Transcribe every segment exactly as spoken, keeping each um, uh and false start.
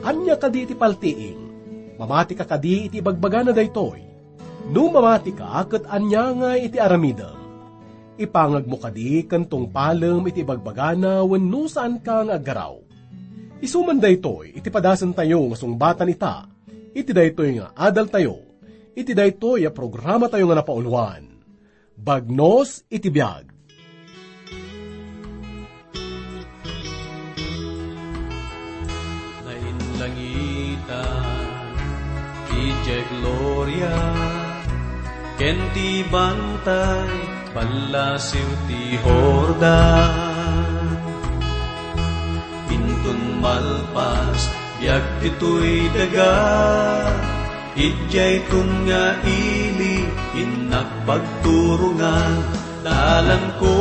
Ania kadi ti paltiing? Mamatika kadi iti ibagbagana daytoy? No mamatika ket ania ngay iti aramidem? Ipangegmo kadi ken tungpalem iti ibagbagana wenno saanka nga aggaraw? Isu man daytoy iti padasentayo nga sungbatan ita iti daytoy nga adaltayo, iti daytoy a programatayo nga napauluan, Bagnos iti Biag. Nainlangitan ti gloria ken ti bantay ballasiw ti Jordan. Inton malpas biag ditoy daga, idiayton nga ili innak pagturongan, dalanko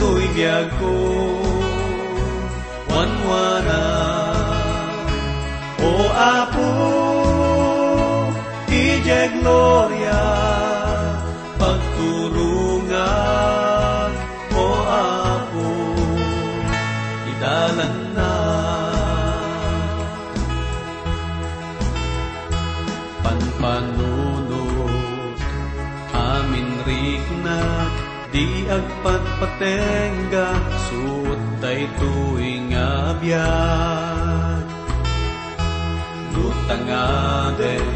toy biagko, wanwana. O Apo, idiay gloria, pagturongan, o Apo, idalanna. Panpanunot, amin riknak, di agpatpatengga, suot daytoy nga biag. No tangaden,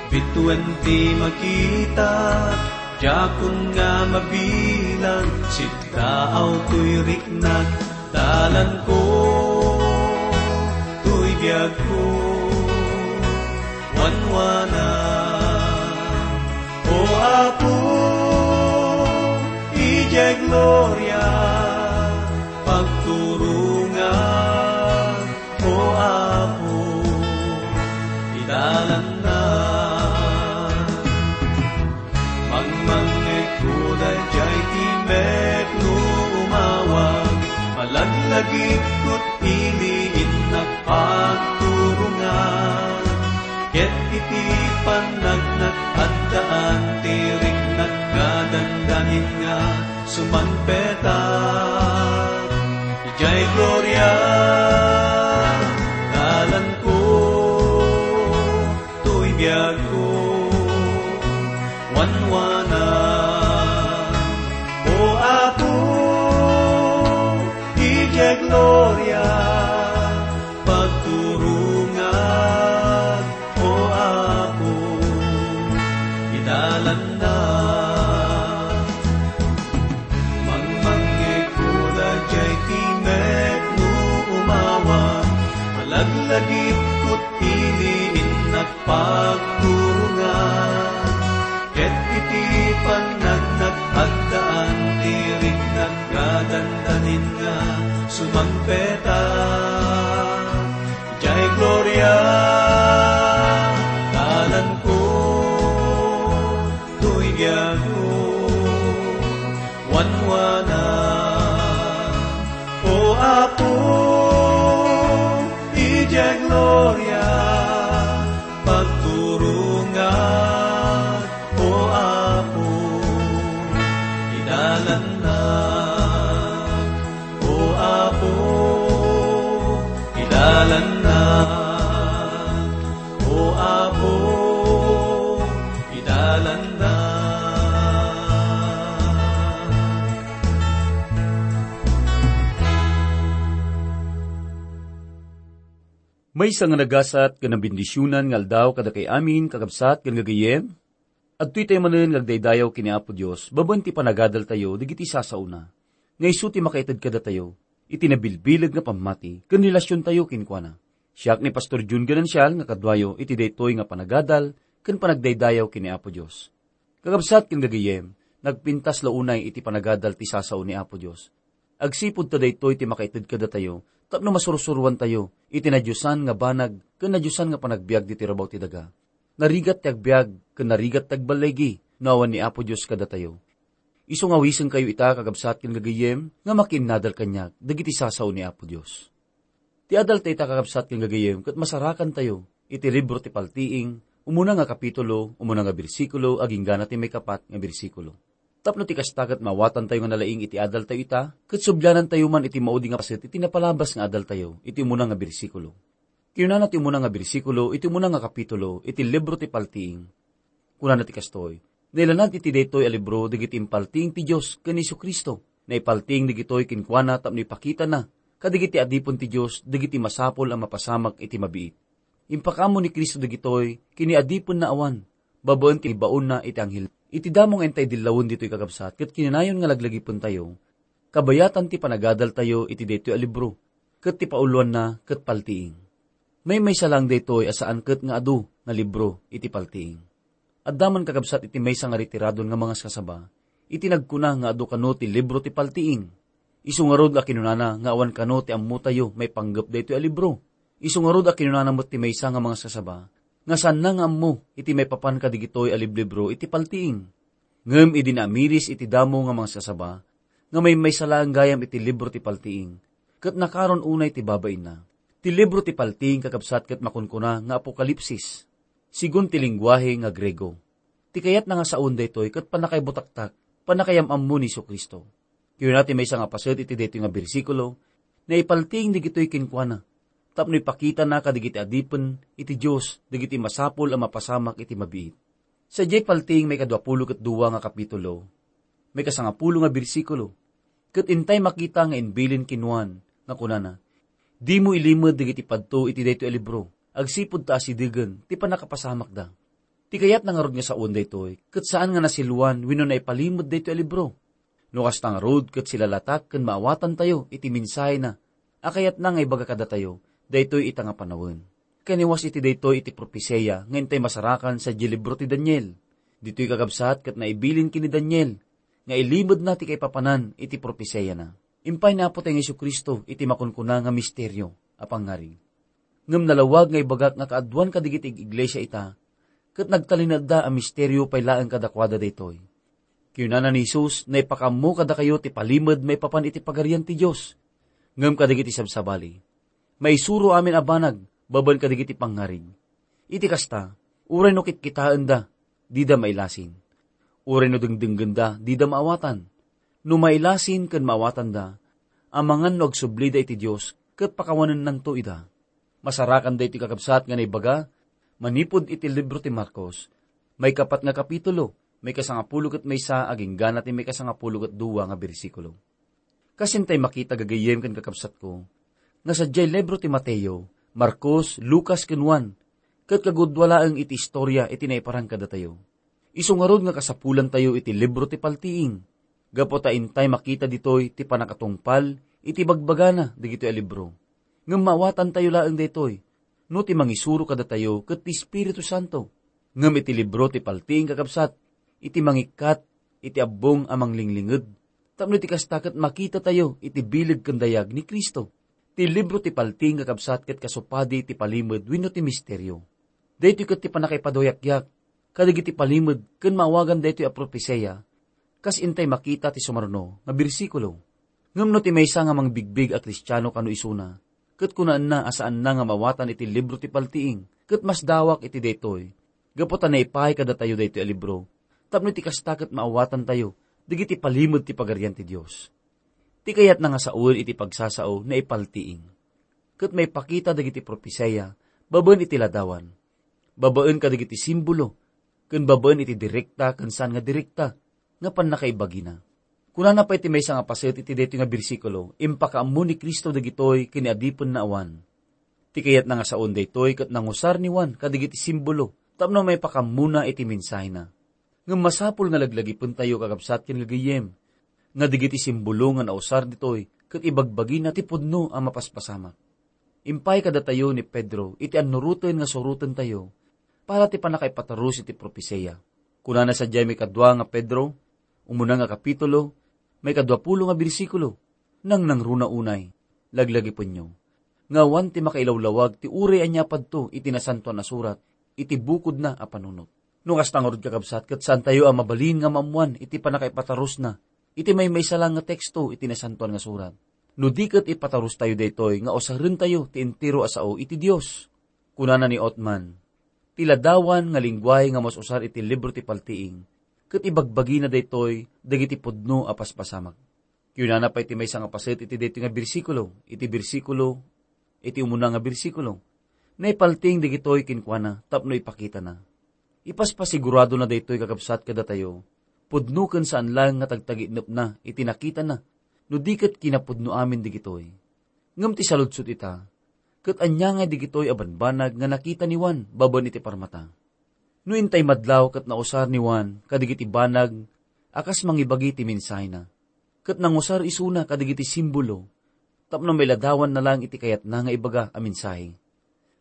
bituen ti makita, diakon nga mabilang, siddaaw toy riknak, dalanko toy biagko, wanwana. O Apo, idiay gloria, pagturongan, o Apo, idalanna. Mangmangngegko daydiay timek no umawag, malaglagipko ti ili innak pagturongan. Ket iti pannagnak, addaan ti riknak nga dandanin nga sumangpetak. Idiay gloria, dalanko toy biagko, wanwana. O Apo, idiay gloria, pagturongan, o Apo, idalanna. Mangmangngegko daydiay timek no umawag, malaglagipko ti ili innak pagturongan. Ket iti pannagnak, addaan ti riknak nga dandanin nga sumangpetak. Idiay gloria, dalanko toy biagko, wanwana. O Apo, idiay gloria, pagturongan, o Apo, idalanna. O Apo, idalanna. O Apo, idalanna. Maysa nga nagasat ken nabendisionan nga aldaw kadakay amin, kakabsat ken gagayyem. Adtoy tayo manen nga agdaydayaw ken ni Apo Dios babaen ti panagadaltayo dagiti sasaona, nga isu ti makaited kadatayo iti nabilbileg nga pammati ken relasiontayo kenkuana. Siak ni Pastor Jun Ganancial nga kaduayo iti daytoy nga panagadal ken panagdaydayaw ken ni Apo Dios. Kakabsat ken gagayyem, nagpintas la unay iti panagadal ti sasao ni Apo Dios. Agsipud ta daytoy ti makaited kadatayo tapno masursuroantayo iti nadiosan nga banag ken nadiosan nga panagbiag ditoy rabaw ti daga. Narigat ti agbiag ken narigat ti agballigi no awan ni Apo Dios kadatayo. Isu nga awisenkayo ita, kakabsat ken gagayyem, nga makiinnadal kaniak dagiti sasao ni Apo Dios. Ti adalta ita, kakabsat ken gagayyem, ket masarakantayo iti libro ti Paltiing, umuna nga kapitulo, umuna nga bersikulo, agingga na ti maikapat nga bersikulo. Tapno ti kasta ket maawatantayo nga nalaing iti adaltayo ita, ket sublianantayo man iti maudi nga paset iti napalabas nga adaltayo, iti umuna nga bersikulo. Kinunana ti umuna nga bersikulo, iti umuna nga kapitulo, iti libro ti Paltiing. Kunana ti kastoy, "Nailanad iti daytoy a libro dagiti impaltiing ti Dios ken ni Jesu-Cristo. Naipaltiing dagitoy kenkuana tapno ipakitana kadagiti adipen ti Dios dagiti masapul a mapasamak iti mabiit. Impakaammo ni Cristo dagitoy ken ni adipenna awan, babaen ti baonna iti anghel." Iti damo nga intay dillawen ditoy kakabsat, ket kinanayon nga laglagipentayo, kabayatan ti panagadaltayo iti daytoy a libro, ket ti pauloanna ket paltiing. Maymaysa laeng daytoy a saan ket nga adu nga libro iti paltiing. Adda man kakabsat iti maysa nga retiradon nga mangaskasaba, iti nagkuna nga adu kano ti libro ti paltiing. Isu ngarud a kinunana nga awan kano ti ammotayo maipanggep daytoy a libro. Isu ngarud a kinunana met ti maysa nga mangaskasaba, nga saanna nga ammo iti maipapan kadagitoy a liblibro iti paltiing. Ngem idi naamiris iti damo nga mangaskasaba, nga maymaysa laeng gayam iti libro ti paltiing, ket nakaron unay ti babainna. Ti libro ti paltiing, kakabsat, ket makunkuna nga Apokalipsis, sigun ti lengguahe nga Griego. Ti kayatna nga saoen daytoy ket pannakaibutaktak, pannakayam-ammo ni Jesu-Cristo. Kinuna ti maysa nga paset iti daytoy nga bersikulo, naipaltiing dagitoy kenkuana, tapno ipakitana kadagiti adipen iti Dios dagiti masapul a mapasamak iti mabiit. Sadiay paltiing maikadua pulo ket dua nga kapitulo, maikasangapulo nga bersikulo, ket intay makita nga imbilin ken Juan nga kunana, "Dimo ilimed dagiti padto iti daytoy a libro, agsipud ta asidegen ti pannakapasamakda." Ti kayatna ngarud nga saoen daytoy, ket saan nga nasiluan wenno naipalimed daytoy a libro. No kasta ngarud, ket silalatak ken maawatantayo iti mensahena a kayatna nga ibaga kadatayo daytoy ita nga panawen. Kaniwas iti daytoy iti propesia nga intay masarakan sadiay libro ti Daniel. Ditoy, kakabsat, ket naibilin ken ni Daniel nga ilimedna ti kaipapanan iti propesiana. Impay ni Apotayo nga Jesu-Cristo iti makunkuna nga misterio a pangngarig. Ngem nalawag nga ibagak nga kaaduan kadagiti ig-iglesia ita, ket nagtalinaedda a misterio pay laeng kadakuada daytoy. Kinunana ni Jesus, "Naipakaammo kadakayo ti palimed maipapan iti Pagarian ti Dios. Ngem kadagiti sabsabali, maisuro amin a banag babaen kadagiti pangngarig. Iti kasta, uray no kitkitaenda, dida mailasin. Uray no dengdenggenda, dida maawatan. No mailasin ken maawatanda, amangan no agsublida iti Dios, ket pakawanennanto ida." Masarakan daytoy, kakabsat, nga naibaga manipud iti libro ti Marcos, maikapat nga kapitulo, maikasangapulo ket maysa agingga ti maikasangapulo ket dua nga bersikulo. Kas intay makita, gagayyem ken kakabsatko, nga sadiay libro ti Mateo, Marcos, Lucas ken Juan, ket kagudua laeng iti istorya iti naiparan kadatayo. Isu ngarud nga kasapulantayo iti libro ti Paltiing, gapu ta intay makita ditoy ti pannakatungpal iti bagbagana dagitoy a libro. Ngem maawatantayo laeng daytoy no ti mangisuro kadatayo ket ti Espiritu Santo. Ngem iti libro ti Paltiing, kakabsat, iti mangikkat iti abbong a manglinglinged, tapno iti kasta ket makitatayo iti bileg ken dayag ni Cristo. Ti libro ti Paltiing, kakabsat, ket kasupadi ti palimed wenno ti misterio. Daytoy ket ti pannakaipaduayakyak kadagiti palimed ken maawagan daytoy a propesia, kas intay makita ti sumaruno nga bersikulo. Ngem no ti maysa nga mangbigbig a Kristiano kano isuna, ket kunaenna a saanna nga maawatan iti libro ti Paltiing, ket masdawak iti daytoy, gapu ta naipaay kadatayo daytoy a libro, tapno iti kasta ket maawatantayo dagiti palimed ti Pagarian ti Dios. Ti kayatna nga sawen iti pagsasao, naipaltiing ket maipakita dagiti propesia babaen iti ladawan, babaen kadagiti simbolo, ken babaen iti direkta ken saan nga direkta nga pannakaibagina. Kunana pay ti maysa nga paset iti daytoy nga bersikulo, "Impakaammo ni Cristo dagitoy ken ni adipenna awan." Ti kayatna nga sawen daytoy ket nangusar ni Juan kadagiti simbolo tapno maipakammona iti mensahena. Ngem masapul nga laglagipentayo, kakabsat ken gagayyem, nga dagiti simbolo nga nausar ditoy ket ibagbagina ti pudno a mapaspasamak. Impay kadatayo ni Pedro iti annuroten nga surotentayo para ti pannakaipatarus iti propesia. Kunana sadiay maikadua nga Pedro, umuna nga kapitulo, maikadua pulo nga bersikulo, "Nangnangruna unay, laglagipenyo, nga awan ti makailawlawag ti uray ania padto iti Nasantoan a Surat iti bukodna a panunot." No kasta ngarud, kakabsat, ket saantayo a mabalin nga maammoan iti pannakaipatarusna iti maymaysa laeng nga teksto iti Nasantoan nga Surat. No di ket ipatarustayo daytoy nga usarentayo ti entero a sao iti Dios. Kunana ni Othman, "Ti ladawan nga lengguahe nga mas-usar iti libro ti Paltiing, ket ibagbagina daytoy dagiti pudno a paspasamak. Kinunana pay ti maysa nga paset iti daytoy nga bersikulo, iti bersikulo, iti umuna nga bersikulo, naipaltiing dagitoy kenkuana tapno ipakitana. Ipaspasiguradona daytoy, kakabsat, kadatayo, pudno ken saan laeng nga tagtagitnepna iti nakitana, no di ket kinapudno amin dagitoy. Ngem ti saludsod ita, ket ania ngay dagitoy a banbanag nga nakita ni Juan babaen iti parmata? No intay madlaw ket nausar ni Juan kadagiti banag a kas mangibagi ti mensahena, ket nangusar isuna kadagiti simbolo tapno mailadawanna laeng iti kayatna nga ibaga a mensahe.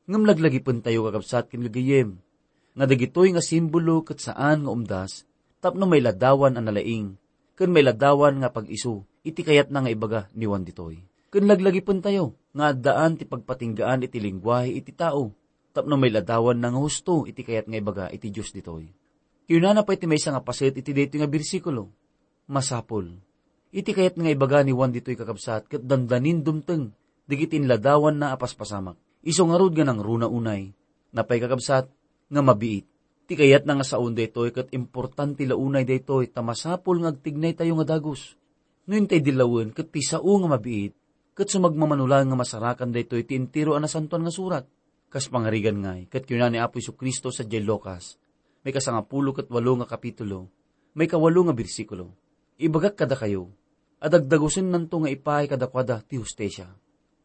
Ngem laglagipentayo, kakabsat ken gagayyem, nga dagitoy nga simbolo ket saan nga umdas tapno mailadawan a nalaing ken mailadawan nga pag-isu iti kayatna nga ibaga ni Juan ditoy. Ken laglagipentayo nga addaan ti pagpatinggaan iti lenguahe iti tao tapno mailadawanna nga husto iti kayat nga ibaga iti Dios ditoy. Kinunana pay ti maysa nga paset iti daytoy nga bersikulo, masapul. Iti kayat nga ibaga ni Juan ditoy, kakabsat, ket dandanin dumteng dagiti inladawanna a paspasamak. Isu ngarud nga nangruna unay, napay, kakabsat, nga mabiit. Ti kayatna nga saon daytoy ket importante la unay daytoy ta masapul nga agtignaytayo nga dagus. No intay dillawen ket ti sao nga mabiit, ket sumagmamano laeng nga masarakan daytoy ti entero a Nasantoan nga Surat. Kas pangarigan ngay, ket kuna ni Apo Jesu-Cristo sadiay Lucas, maikasangapulo ket walo nga kapitulo, maikawalo nga bersikulo, "Ibagak kadakayo, a dagdagusennanto nga ipaay kadakuada ti hustisia."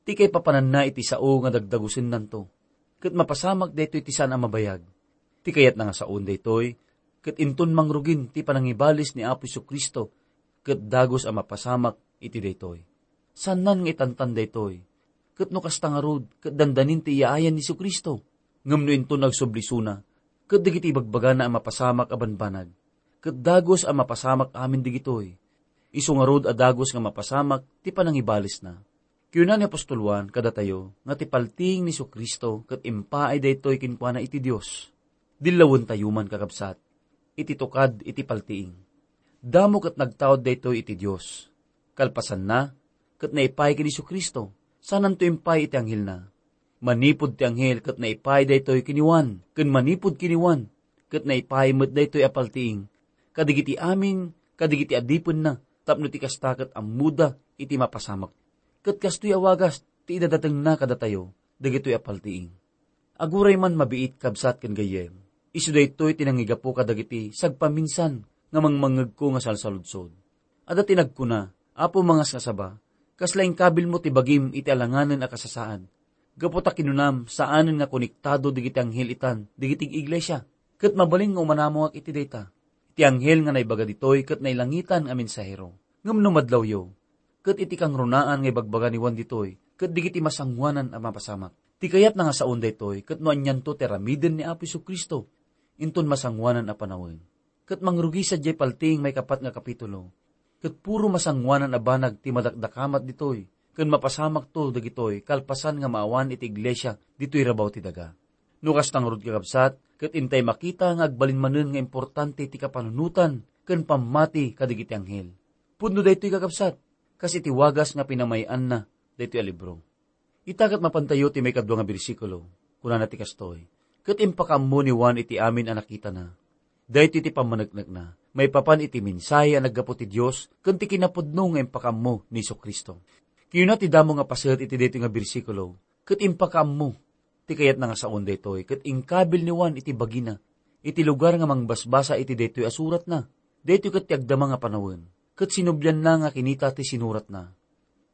Ti kaipapananna iti sao nga dagdagusennanto, ket mapasamak daytoy ti saan a mabayag. Ti kayatna nga saon daytoy, ket inton mangrugin ti panangibalis ni Apo Jesu-Cristo, ket dagus a mapasamak iti daytoy. Saannan nga itantan daytoy. Ket no kasta ngarud, ket dandanin ti iyaayan ni Jesu-Cristo. Ngem no inton agsubli isuna, ket dagiti ibagbagana a mapasamak a banbanag, ket dagus a mapasamak amin dagitoy. Isu ngarud a dagus nga mapasamak ti panangibalisna. Kuna ni apostol Juan kadatayo nga ti paltiing ni Jesu-Cristo ket impaay daytoy kenkuana iti Dios. Dillawentayo man, kakabsat, iti tukad iti paltiing. Damo ket nagtaud daytoy iti Dios. Kalpasanna, ket naipaay ken Jesu-Cristo, saananto impaay iti anghelna. Manipud ti anghel ket naipaay daytoy ken ni Juan, ken manipud ken ni Juan, ket naipaay met daytoy a paltiing, kadagiti amin, kadagiti adipenna, tapno ti kasta ket ammoda iti mapasamak. Ket kastoy a wagas ti idadatengna kadatayo dagitoy a paltiing. Aguray man mabiit, kabsat ken gayyem, isu daytoy ti nangigapu kadagiti sagpaminsan nga mangmangngegko nga salsaludsod. Adda ti nagkuna, "Apo, mangas nga saba, kasla inkabilmo ti bagim iti alanganen a kasasaad? Gapu ta kinunam, saanen nga konektado dagiti anghel itan dagiti iglesia, ket mabalin nga umanamongak iti dayta. Ti anghel nga naibaga ditoy ket nailangitan a mensahero. Ngem no madlawyo, ket iti kangrunaan nga ibagbaga ni Juan ditoy, ket dagiti masangoanan a mapasamak." Ti kayatna nga saon daytoy, ket no anianto ti aramiden ni Apo Jesu-Cristo, inton masangoanan a panawen. Ket mangrugi sadiay paltiing maikapat nga kapitulo, ket puro masangoanan a banag ti madakdakamat ditoy, ken mapasamakto dagitoy kalpasan nga maawan iti iglesia ditoy rabaw ti daga. No kasta ngarud, kakabsat, ket intay makita nga agbalin manen nga importante ti kapanunotan ken pammati kadagiti anghel. Pudno daytoy, kakabsat, kas iti wagas nga pinamay-anna daytoy a libro. Ita ket mapantayo ti maikadua nga bersikulo. Kunana ti kastoy, "Ket impakaammo ni Juan iti amin a nakitana. Daytoy ti pammaneknekna maipapan iti mensahe a naggapu ti Dios ken ti kinapudno nga impakaammo ni Jesu-Cristo." Kinuna ti damo nga paset iti daytoy nga bersikulo, "Ket impakaammo." Ti kayatna nga saon daytoy, ket inkabil ni Juan iti bagina, iti lugar nga mangbasbasa iti daytoy a suratna. Daytoy ket ti agdama nga panawen, ket sinublianna nga kinita ti sinuratna.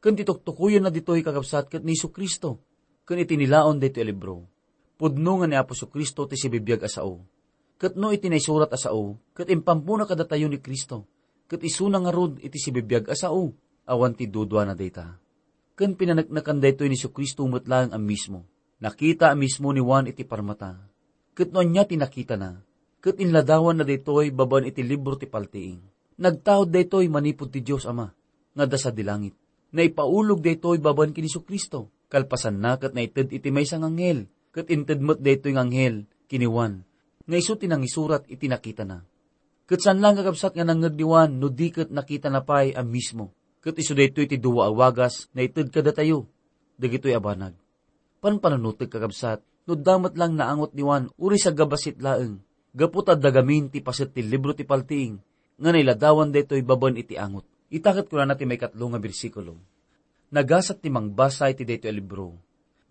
Ken ti tuktukoyenna ditoy, kakabsat, ket ni Jesu-Cristo, ken iti nilaon daytoy a libro. Pudno nga ni Apo Jesu-Cristo ti sibibiag a sao. Ket no iti naisurat a sao, ket impammona kadatayo ni Cristo, ket isuna ngarud iti sibibiag a sao, awan ti duduana dayta. Ken pinaneknekan daytoy ni Jesu-Cristo met laeng a mismo. Nakita a mismo ni Juan iti parmata. Ket no ania ti nakitana, ket inladawanna daytoy babaen iti libro ti paltiing. Nagtaud daytoy manipud ti Dios Ama nga adda sadi langit. Naipaulog daytoy babaen ken Jesu-Cristo. Kalpasanna, ket naited iti maysa nga anghel, ket inted met daytoy nga anghel ken ni Juan, nga isu ti nangisurat iti nakitana. Ket saan laeng, kakabsat, nga nangngeg ni Juan no di ket nakitana pay a mismo. Ket isu daytoy ti dua a wagas nga ited kadatayo dagitoy a banag. Panpanunotek, kakabsat, no adda met laeng naangot ni Juan, uray sagabassit laeng, gapu ta adda gamin ti paset ti libro ti paltiing nga nailadawan daytoy babaen iti angot. Ita ket kunana ti maikatlo nga bersikulo, "Nagasat ti mangbasa iti daytoy a libro.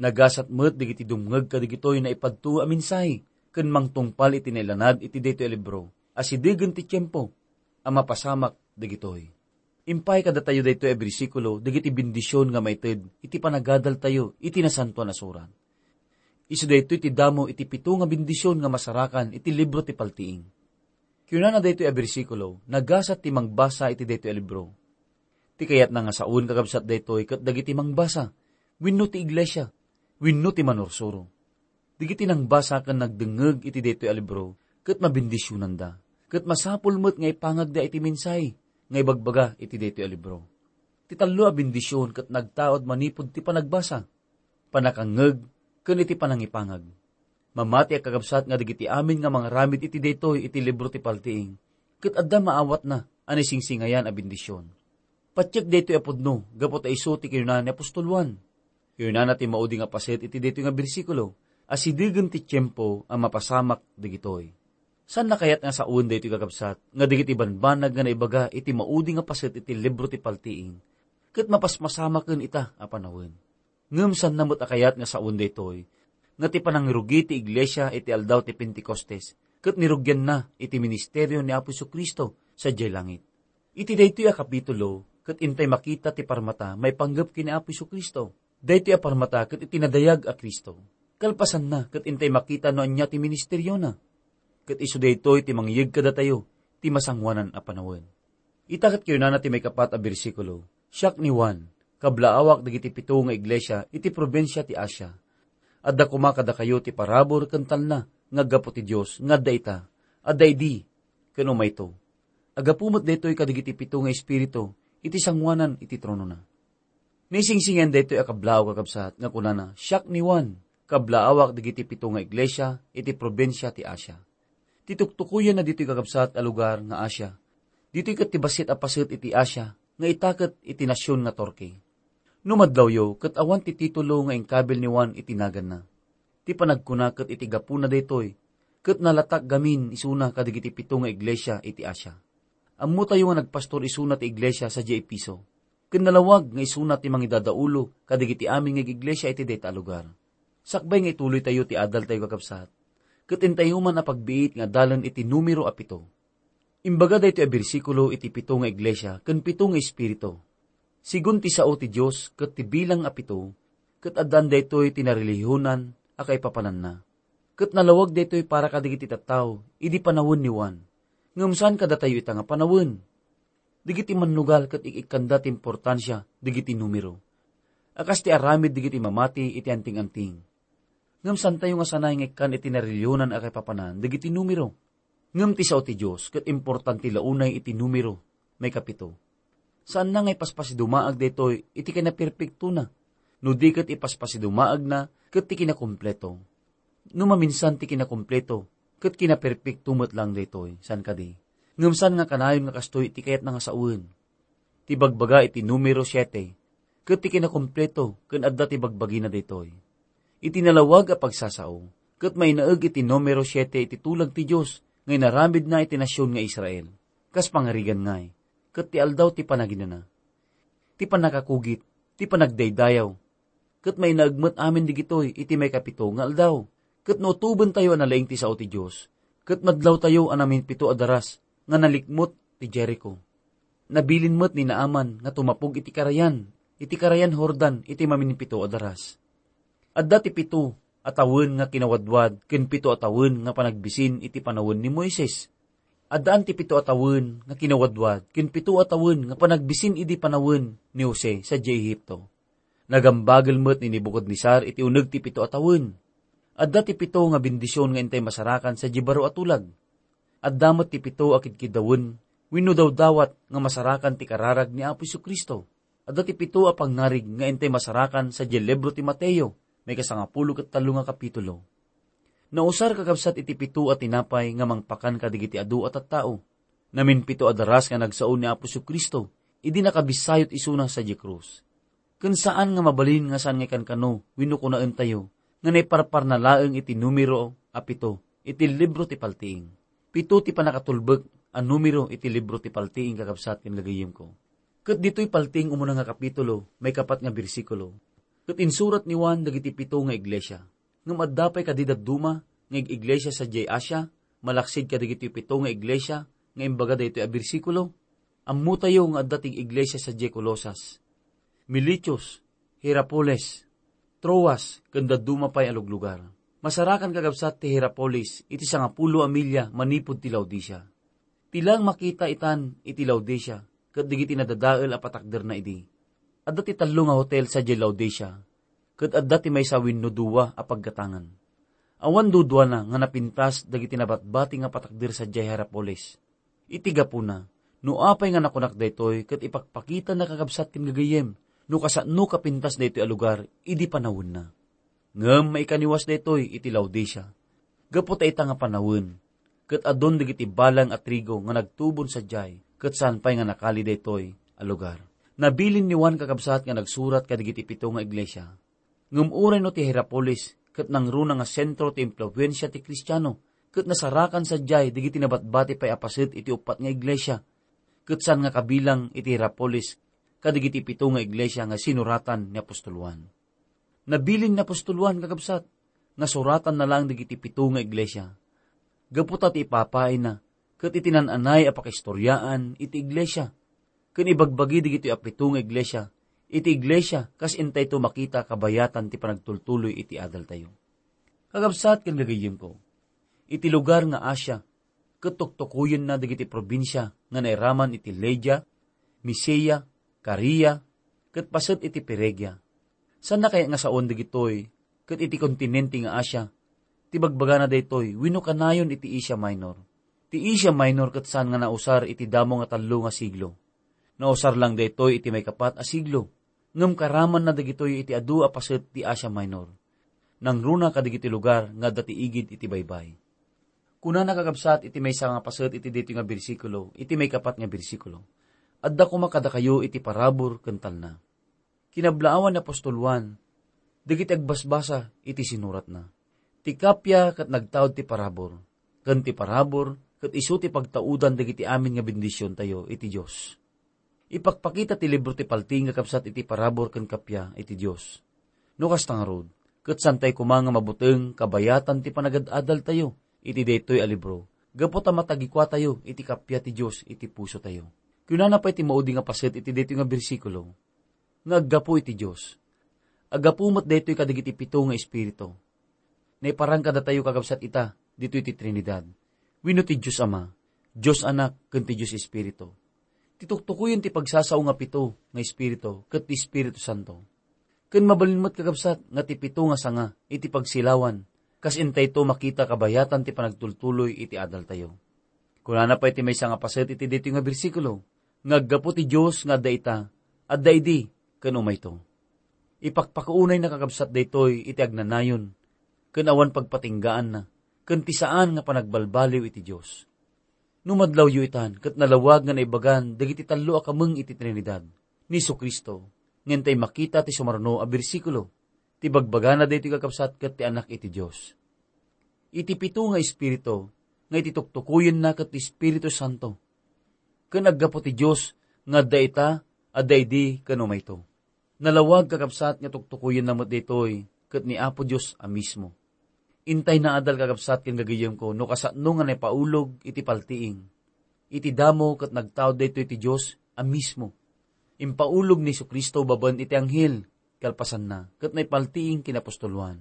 Nagasat met dagiti dumngeg kadagitoy naipadto a mensahe ken mangtungpal iti nailanad iti daytoy a libro a sidegen ti tiempo a mapasamak dagitoy." Impay kadatayo daytoy a bersikulo dagiti bendision nga maited iti panagadaltayo iti Nasantoan a Surat. Isu daytoy ti damo iti pito nga bendision nga masarakan iti libro ti paltiing. Kinunana daytoy a bersikulo, "Nagasat ti mangbasa iti daytoy a libro." Ti kayatna nga sawen, kakabsat, daytoy ket dagiti mangbasa, wenno ti iglesia, wenno ti manursuro. Dagiti nangbasa ken nagdengngeg iti daytoy a libro ket mabendisionanda, ket masapul met nga ipangagda iti mensahe nga ibagbaga iti daytoy a libro. Ti tallo a bendision ket nagtaud manipud ti panagbasa, panakangngeg, ken iti panangipangag. Mamati a kakabsat nga dagiti amin nga mangaramid iti daytoy iti libro ti paltiing, ket adda maawatna a naisingsingayan a bendision. Patiek daytoy a pudno gapu ta isu ti kinuna ni apostol Juan. Kinunana ti maudi nga paset iti daytoy nga bersikulo a sidegen ti tiempo a mapasamak dagitoy. Saanna kayat nga sawen daytoy, kakabsat, nga dagiti banbanag nga naibaga iti maudi nga paset iti libro ti paltiing ket mapasmasamaken ita a panawen. Ngem saanna met a kayat nga sawen daytoy, nga ti panangrugi ti iglesia iti aldaw ti Pentecostes ket nirugianna iti ministerio ni Apo Jesu-Cristo sadiay langit. Iti daytoy a kapitulo, ket intay makita ti parmata maipanggep ken ni Apo Jesu-Cristo. Daytoy a parmata ket iti nadayag a Cristo. Kalpasanna, ket intay makita no ania ti ministeriona. Ket isu daytoy ti mangyeg kadatayo ti masangoanan a panawen. Ita ket kinunana ti maikapat a bersikulo, "Siak ni Juan, kablaawak dagiti pito nga iglesia iti probinsia ti Asia. Adda koma kadakayo ti parabur ken talna nga aggapu ti Dios nga adda ita, adda idi, ken umayto. Aggapu met daytoy kadagiti pito nga espiritu iti sangoanan iti tronona." Naisingsingayan daytoy a kablaaw, kakabsat, nga kunana, "Siak ni Juan, kablaawak dagiti pito nga iglesia iti probinsia ti Asia." Ti tuktukoyanna ditoy, kakabsat, a lugar nga Asia. Ditoy ket ti bassit a paset iti Asia nga itaket iti nasion nga Turkey. No madlawyo, ket awan ti titulo nga inkabil ni Juan iti naganna. Ti panagkuna ket iti gapuna daytoy, ket nalatak gamin isuna kadagiti pito nga iglesia iti Asia. Ammotayo nga nagpastor isuna ti iglesia sadiay Efeso, ken nalawag nga isuna ti mangidadaulo kadagiti amin nga iglesia iti dayta a lugar. Sakbay nga ituloytayo ti adaltayo, kakabsat, ket intayo man a pagbiit nga adalen iti numero a pito. Imbaga daytoy a bersikulo iti pito nga iglesia ken pito nga espiritu. Sigun ti sao ti Dios ket ti bilang a pito, ket addaan daytoy ti narelihiyonan a kaipapananna. Ket nalawag daytoy para kadagiti tattao idi panawen ni Juan. Ngem saan kadatayo ita nga panawen. Dagiti mannugal ket ik-ikkanda ti importansia dagiti numero, a kas ti aramid dagiti mamati iti anting-anting. Ngem saantayo nga sanay nga ikkan iti narelihiyonan a kaipapanan dagiti numero. Ngem ti sao ti Dios ket importante la unay iti numero, maikapito. Saanna nga ipaspasidumaag daytoy iti kinaperpektona, no di ket ipaspasidumaagna ket ti kinakompleto. No maminsan ti kinakompleto ket kinaperpekto met laeng daytoy, saan kadi? Ngem saan nga kanayon nga kastoy ti kayatna nga sawen. Ti bagbaga iti numero siete, ket ti kinakompleto ken adda ti bagbagina daytoy. Iti nalawag a pagsasao, ket mainaeg iti numero siete iti tulag ti Dios nga inaramidna iti nasion nga Israel, kas pangarigan ngay, ket ti aldaw ti panaginana, ti pannakakugit, ti panagdaydayaw, ket mainaeg met amin digitoy iti maikapito nga aldaw. Ket no utobentayo a nalaing ti sao ti Dios, ket madlawtayo a naminpito a daras nga nalikmot ti Jerico. Nabilin met ni Naaman nga tumapog iti karayan, iti karayan Jordan iti maminpito a daras. Adda ti pito a tawen nga kinawadwad ken pito a tawen nga panagbisin iti panawen ni Moises. Addaan ti pito a tawen nga kinawadwad ken pito a tawen nga panagbisin idi panawen ni Jose sadiay Ehipto. Nagambagel met ni Nebucadnezzar iti uneg ti pito a tawen. Adda ti pito nga bendision nga intay masarakan sadiay baro a tulag. Adda met ti pito a kidkiddawen wenno dawdawat nga masarakan ti kararag ni Apo Jesu-Cristo. Adda ti pito a pangngarig nga intay masarakan sadiay libro ti Mateo, maikasangapulo ket tallo nga kapitulo. Nausar, kakabsat, iti pito a tinapay nga mangpakan kadagiti adu a tattao. Naminpito a daras nga nagsao ni Apo Jesu-Cristo idi nakabissayot isuna sadiay krus. Ken saan nga mabalin nga saan nga ikankano wenno kunaentayo nga naiparparna laeng iti numero a pito iti libro ti Paltiing. Pito ti pannakatulbek a numero iti libro ti Paltiing, kakabsat ken gagayyemko. Ket ditoy Paltiing umuna nga kapitulo, maikapat nga bersikulo, ket insurat ni Juan dagiti pito nga iglesia. Ngem adda pay kadi dadduma nga ig-iglesia sadiay Asia, malaksid kadagiti pito nga iglesia nga imbaga daytoy a bersikulo? Ammotayo nga adda ti iglesia sadiay Colosas, Miletus, Hierapolis, Troas, ken dadduma pay a luglugar. Masarakan, kakabsat, ti Hierapolis iti sangapulo a milya manipud ti Laodicea. Ti laeng makita itan iti Laodicea ket dagiti nadadael a patakderna idi. Adda ti tallo nga hotel sadiay Laodicea, ket adda ti maysa wenno dua a paggatangan. Awan duduana nga napintas dagiti nabatbati nga patakder sadiay Hierapolis. Iti gapuna, no apay nga nakunak daytoy ket ipakpakitana, kakabsat ken gagayyem, no kasano kapintas daytoy a lugar idi panawenna. Ngem maikaniwas daytoy iti Laodicea, gapu ta ita nga panawen, ket adun dagiti balang a trigo nga nagtubon sadiay, ket saan pay nga nakali daytoy a lugar. Nabilin ni Juan, kakabsat, nga nagsurat kadagiti pito nga iglesia. Ngem uray no ti Hierapolis ket nangruna nga sentro ti impluensia ti Kristiano, ket nasarakan sadiay dagiti nabatbati pay a paset iti uppat nga iglesia, ket saan nga kabilang iti Hierapolis kadagiti pito nga iglesia nga sinuratan ni apostol Juan. Nabilin ni apostol Juan, kakabsat, nga suratanna laeng dagiti pito nga iglesia. Gapu ta ti ipapaayna ket iti nan-anay a pakaistoriaan iti iglesia, ken ibagbagi dagitoy a pito nga iglesia iti iglesia kas intayto makita kabayatan ti panagtultuloy iti adaltayo. Kakabsat ken gagayyemko, iti lugar nga Asia, ket tuktukoyenna dagiti probinsia nga nairaman iti Lydia, Misia, Caria, ket paset iti Phrygia. Saanna kayat nga saoen dagitoy ket iti kontinente nga Asia? Ti bagbagana daytoy wenno kanayon iti Asia Minor. Ti Asia Minor ket saan nga nausar iti damo nga tallo nga siglo. Nausar lang daytoy iti maikapat a siglo, ngem karamanna dagitoy iti adu a paset ti Asia Minor. Nangruna kadagiti lugar nga adda ti igid iti baybay. Kunana, kakabsat, iti maysa nga paset iti daytoy nga bersikulo, iti maikapat nga bersikulo, "Adda koma kadakayo iti parabur ken talna." Kinablaawan ni apostol Juan dagiti agbasbasa iti sinuratna. Ti kappia ket nagtaud ti parabur, ken ti parabur ket isu ti pagtaudan dagiti amin nga bendisiontayo iti Dios. Ipakpakita ti libro ti Paltiing, kakabsat, iti parabur ken kappia iti Dios. No kasta ngarud, ket saantay koma nga mabuteng kabayatan ti panagad-adaltayo iti daytoy a libro, gapu ta matagikuatayo iti kappia ti Dios iti pusotayo. Kunana pay ti maudi nga paset iti daytoy nga bersikulo, nga aggapu iti Dios. Aggapu met daytoy kadagiti pito nga espiritu. Naiparang kadatayo, kakabsat, ita ditoy ti Trinidad, wenno ti Dios Ama, Dios Anak, ken ti Dios Espiritu. Ti tuktukoyen ti pagsasao nga pito nga espiritu ket ti Espiritu Santo. Ken mabalin met, kakabsat, nga ti pito nga sanga iti pagsilawan, kas intayto makita kabayatan ti panagtultuloy iti adaltayo. Kunana pay ti maysa nga paset iti daytoy nga bersikulo, nga aggapu ti Dios nga adda ita, adda idi, ken umayto. Ipakpakaunayna, kakabsat, daytoy iti agnanayon ken awan pagpatinggaanna, ken ti saan nga panagbalbaliw iti Dios. No madlawyo itan, ket nalawag nga naibagan dagiti tallo a kameng iti Trinidad, ni Jesu-Cristo, nga intay makita ti sumaruno a bersikulo, ti bagbagana daytoy, kakabsat, ket ti Anak iti Dios. Iti pito nga espiritu, nga iti tuktukoyenna ket ti Espiritu Santo, ken aggapu ti Dios nga adda ita, adda idi, ken umayto. Nalawag, kakabsat, nga tuktukoyenna met daytoy ket ni Apo Dios a mismo. Intay naadal, kakabsat ken gagayyemko, no kasano nga naipaulog iti paltiing. Iti damo ket nagtaud daytoy ti Dios a mismo. Impaulog ni Jesu-Cristo babaen iti anghel, kalpasanna, ket naipaltiing ken ni apostol Juan.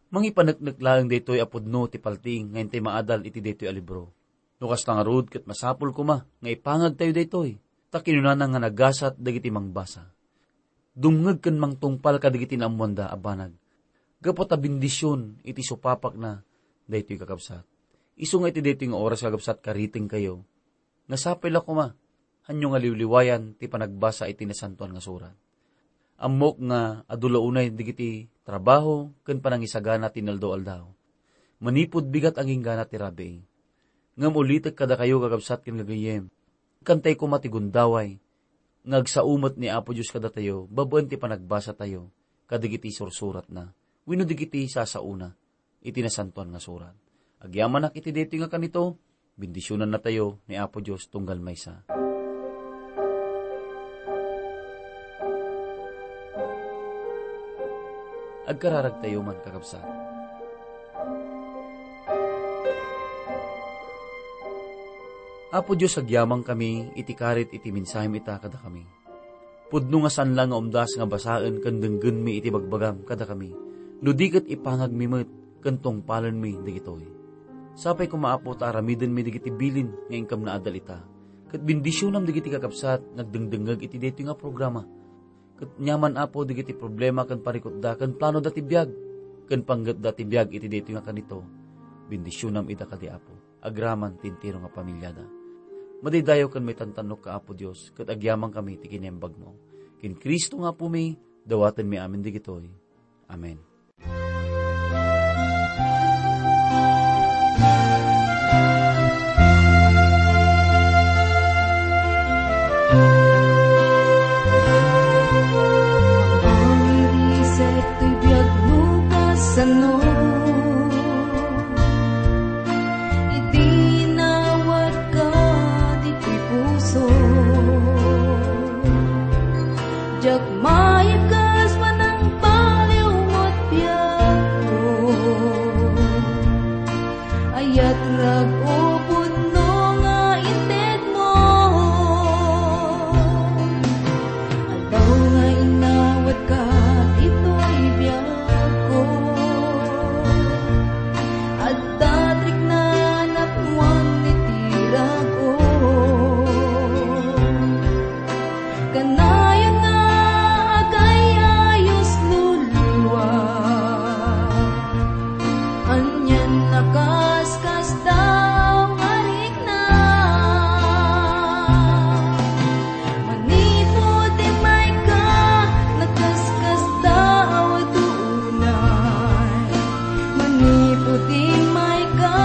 Mangipaneknek laeng daytoy a pudno ti paltiing nga intay maadal iti daytoy a libro. No kasta ngarud, ket masapul koma nga ipangagtayo daytoy, ta kinunana nga nagasat dagiti mangbasa. Dumngeg ken mangtungpal kadagiti naammoanda a banag, gapu ta bendision iti supapakna daytoy, kakabsat. Isu nga iti daytoy nga oras, kakabsat, karitengkayo nga sapay la koma, hanyo nga liwliwayan ti panagbasa iti Nasantoan nga Surat. Ammok nga adu la unay dagiti trabaho ken panangisagana ti inaldaw-aldaw. Manipud bigat agingga ti rabii. Ngem ulitek kadakayo, kakabsat ken gagayyem, inkantay koma ti gundaway nga agsao met ni Apo Dios kadatayo babaen ti panagbasatayo kadagiti sursuratna wenno dagiti sasaona iti Nasantoan nga Surat. Agyamanak iti daytoy nga kanito, bendisionannatayo ni Apo Dios tunggal maysa. Agkararagtayo man, kakabsat. Apo Dios, agyamankami iti karit iti mensahem ita kadakami. Pudno nga saan la nga umdas nga basaen ken denggenmi iti bagbagam kadakami, no di ket ipangagmi met ken tungpalenmi dagitoy. Sapay koma, Apo, ta aramidenmi dagiti bilin nga inkam naaddal ita, ket bendisionam dagiti kakabsat nga agdengdengngeg iti daytoy nga programa. Ket aniaman, Apo, dagiti problema ken parikutda ken planoda ti biag, ken pangngepda ti biag iti daytoy nga kanito, bendisionam ida kadi, Apo, agraman ti entero nga pamiliada. Madaydayaw ken maitantannokka, Apo Dios, ket agyamankami iti kinaimbagmo. Ken Cristo nga Apomi, dawatenmi amin dagitoy. Amen. Amangan iti biag no kasano, idi nawatka ditoy puso. Diak maikes manangbaliw met biagko. Ayat rag-o pudno nga intedmo. Aldaw nga inawatka ditoy biagko. Adda ti riknanakon iti rag-o. Kanayon nga agay-ayos luluak. Anian a kaskasdaaw nga rikna. Manipud immayka, nakaskasdaaw a dunay. Manipud immayka,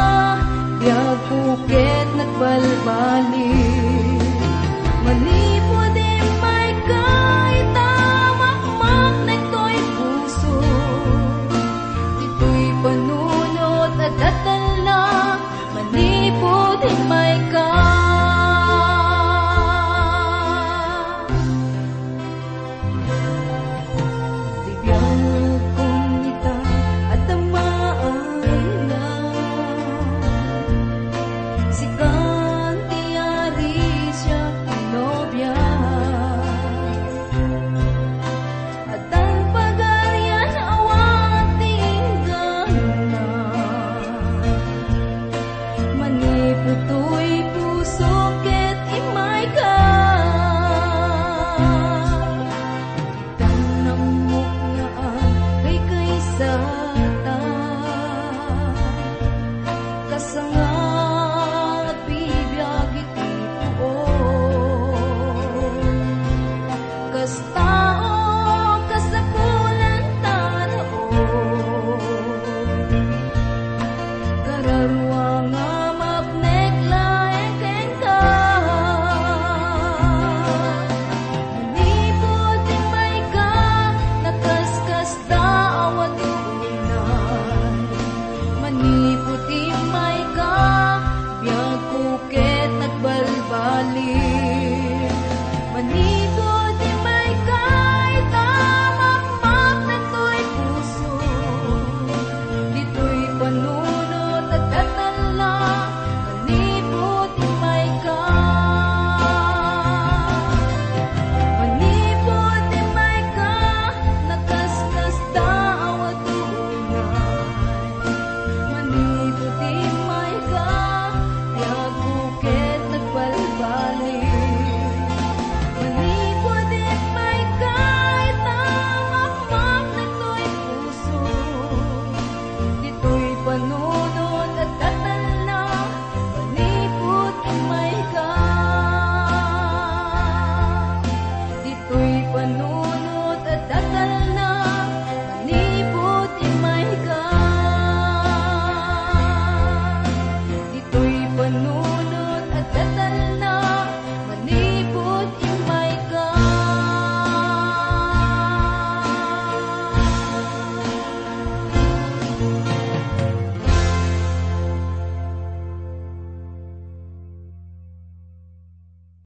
biagko ket nagbalbaliw. Manipud immayka, ita makmaknek toy puso. Ditoy panunot a datella, manipud immayka. Ti biagkon ita, adda maayna. Sikan ti ari, siak ti nobia. Addan pagarian, awan ti inggana. Manipud toy puso ket immayka. Ditan ammok nga agkaykaysata. Kasangad bibiag iti puon. Kas tao, kasapulan ta daon. Kararua nga mapnek laeng kenka. Manipud immayka, nakaskasdaaw a dunay. Manipud immayka, biagko ket nagbalbaliw.